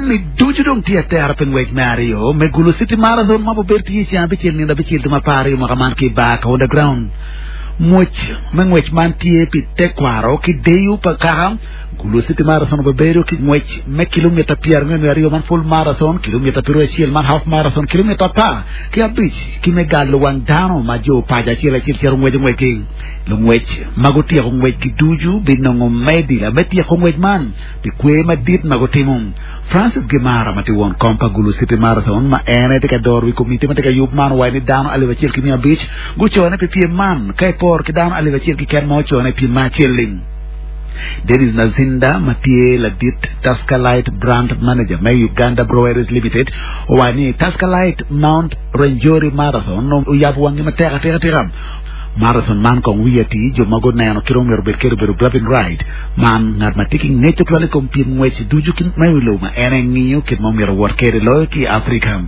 Jami ducu dong tye atera pi ngwec me aryo me Gulu City Marathon ma obedo tye i ceng abicel nino abicel dwe me apar aryo mwaka man ki i bar Kaunda Ground. Ngwec me ngwec man tye pi tekwaro ki deyo pa kaka. Gulu City Marathon obibedo ki ngwec me kilomita 42 man full marathon, kilomita 91 man half marathon, kilomita 15 ki me galo wang dano ma jo paco acel acel cito ngweco ngwecgi. Lungwec ma gutyeko ngwecgi ducu binongo medila me tyeko ngwec man pi kwer madit ma gutimo. Francis Gimara ma tye won kom pa Gulu City Marathon ma en aye tye ka doro wi komiti ma tye ka yub man owaco ni dano 1,500 gucone pi pyem man ka iporo ki dano 1,000 keken ma ocone i pyem ma acel-li. Dennis Nazinda ma tye ladit Tusker Lite Brand Manager me Uganda Breweries Limited owaco ni Tusker Lite Mount Rwenzori Marathon oyabo wangi matek atika tika. Marathon man kong wiye atir jo ma guneno kit ma myero obed kwede obedo Gavin Wright man ngat ma tye ki ngec tutwal i kom pyem ngwec ducu ki me wi lobo ma en aye ngiyo kit ma myero owot kwede loyo ki i Afrika.